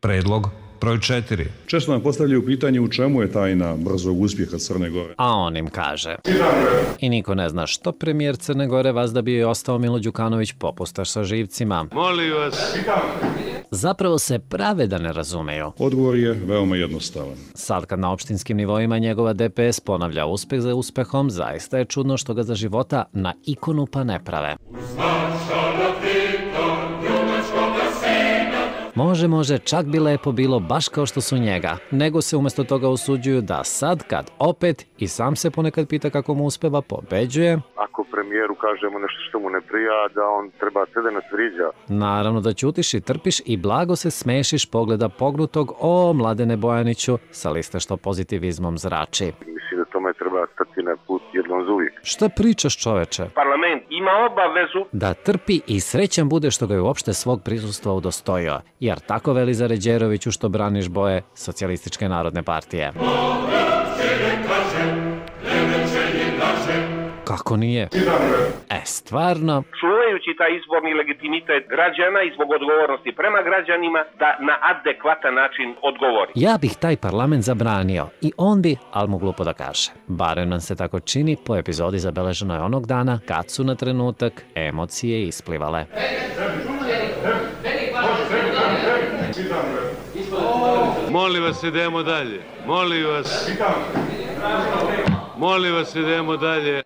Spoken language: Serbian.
Predlog broj 4. Često nam postavljaju pitanje u čemu je tajna brzog uspjeha Crne Gore. A on im kaže. I niko ne zna što premijer Crne Gore vazda bio je ostao Milo Đukanović popustaš sa živcima. Molim vas. Zapravo se prave da ne razumeju. Odgovor je veoma jednostavan. Sad kad na opštinskim nivoima njegova DPS ponavlja uspeh za uspehom, zaista je čudno što ga za života na ikonu pa ne prave. Može, čak bi lepo bilo baš kao što su njega, nego se umjesto toga usuđuju da sad kad opet i sam se ponekad pita kako mu uspeva pobeđuje. Ako premijeru kažemo nešto što mu ne prija, da on treba sve da nas vriđa. Naravno da ćutiš i trpiš i blago se smešiš pogleda pognutog o Mladene Bojaniću sa liste što pozitivizmom zrači. Mislim da tome treba stati na put jednom za uvijek. Šta pričaš, čoveče? Parlament ima obavezu Da trpi i srećan bude što ga je uopšte svog prisustva udostojio, jer tako veli Zaređeroviću što braniš boje Socijalističke narodne partije. Kako nije? Stvarno? čuvajući taj izborni legitimitet građana i zbog odgovornosti prema građanima da na adekvatan način odgovori. Ja bih taj parlament zabranio i on bi, ali mu glupo da kaže. Barem nam se tako čini po epizodi zabeleženoj onog dana kad su na trenutak emocije isplivale. Molim vas, idemo dalje. Molim vas, idemo dalje.